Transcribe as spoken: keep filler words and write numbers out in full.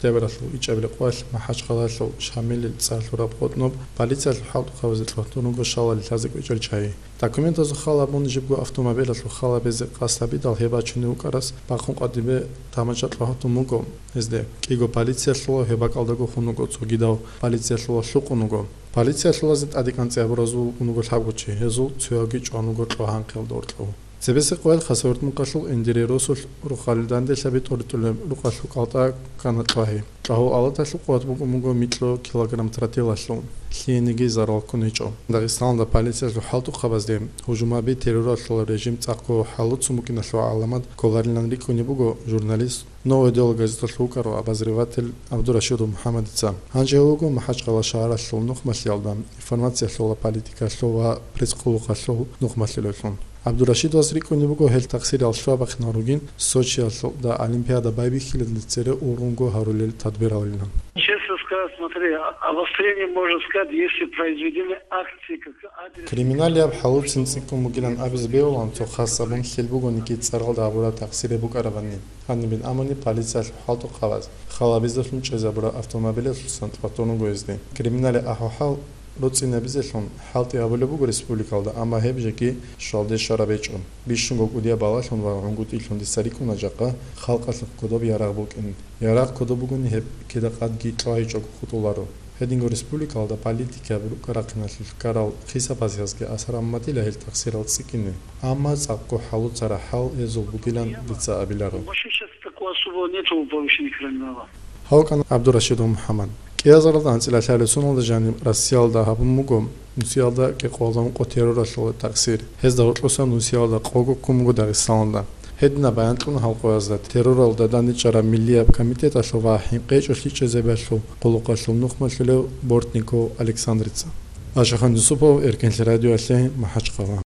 Дебаралъул ичӀабилеб къоялъ МахӀачхъалаялъул Шамилил цӀар лъураб къотӀноб полициялъул хӀалтӀухъабазе кьватун руго шалали лъазе кӀвечӀел чагьи. Документазул хал абун жибго автомобилалъул хал абизе къасд гьабидал гьеб бачунев вукӀарас бахъун къватӀибе тамача кьвагьун буго гьезде. КӀиго полиция лъула, гьеб бакӀалдаго хун вуго, цогидав полиция лъула, лъукъун вуго. Полиция лъулазе тӀаде кӀанцӀи гьабуразул вукӀун вуго лъабго чи, гьезул цоявги чӀван вуго кьвагьанкъиялда гьоркьов. Цебесеб къоялъ Хасавюрт мукъалъул Эндирей росулъ рухъалил данделъаби тӀоритӀулеб рукъалъул кӀалтӀа ккана кьвагьи. Кьагьул алаталъул къуват букӀун буго микьго килограмм тротилалъул, лъиениги зарал ккун гьечӀо. Дагъистаналда полициялъул хӀалтӀухъабазде гьужумаби терроралъул режим цӀакъго хӀалуцун букӀиналъул гӀаламат кколарилан рикӀкӀунеб буго журналист «Новое дело» газеталъул вукӀарав обозреватель ГӀабдурашидов МухӀаммадица. Гьанже гьев вуго МахӀачхъала шагьаралъул нухмалъиялда информациялъул ва политикалъул ва пресс-къуллукъалъул нухмалъулевлъун. ГӀабдурашидовас рикӀкӀунеб буго гьел такъсирал лъугьа-бахъинал ругин Сочиялда Олимпиада байбихьилалде цере ургъунго гьарулел тадбиралилан. Честно сказать, смотри, а-, обострение, можно сказать, если произведены акции, как адрес. Криминалияб хӀалуцин цӀикӀкӀун бугилан абизе бегьулаан цо хас абун лъил бугониги цӀаралда гьабураб такъсире букӀарабани. Гьанибин амуни полициялъул хӀалтӀухъабаз хал абизелъун чӀезабураб автомобилалъусан тӀватун руго гьезде. Криминалияб ахӀвал-хӀал роцӀцӀинабизелъун хӀалтӀи гьабулеб буго республикалда, амма гьеб жеги щвалде щвараб гьечӀо. Бищунго кӀудияб балалъун ва гӀунгутӀилъун дица рикӀкӀуна жакъа халкъалъухъ кодоб ярагъ букӀин. Ярагъ кодоб бугони гьеб кида къадги кьвагьичӀого хутӀуларо. Гьединго республикалда политикаяб рукӀа-рахъиналъулъ ккарал хисабазязги асар гьабун батила гьел такъсирал цӀикӀкӀине, амма цӀакъго хӀалуцарал хӀал гьезул бугилан дица абиларо. Вообще сейчас такого особого нету у повышенных криминала. Гьав вукӀана ГӀабдурашидов МухӀаммад. КӀиазаралда анцӀила лъабилеб соналда жаниб Россиялда гьабун буго Нусиялда кӀикъоялда ункъо терроралъул такъсир. Гьезда гьоркьосан Нусиялда къого ккун буго Дагъистаналда. Гьединаб баян кьуна гьал къоязда терроралда дандечӀараб Миллияб комитеталъул ва хӀинкъичӀолъи чӀезабиялъул къуллукъалъул нухмалъулев Бортников Александрица. Ашахан Юсупов, Эркенлъи радиоялъе, МахӀачхъала.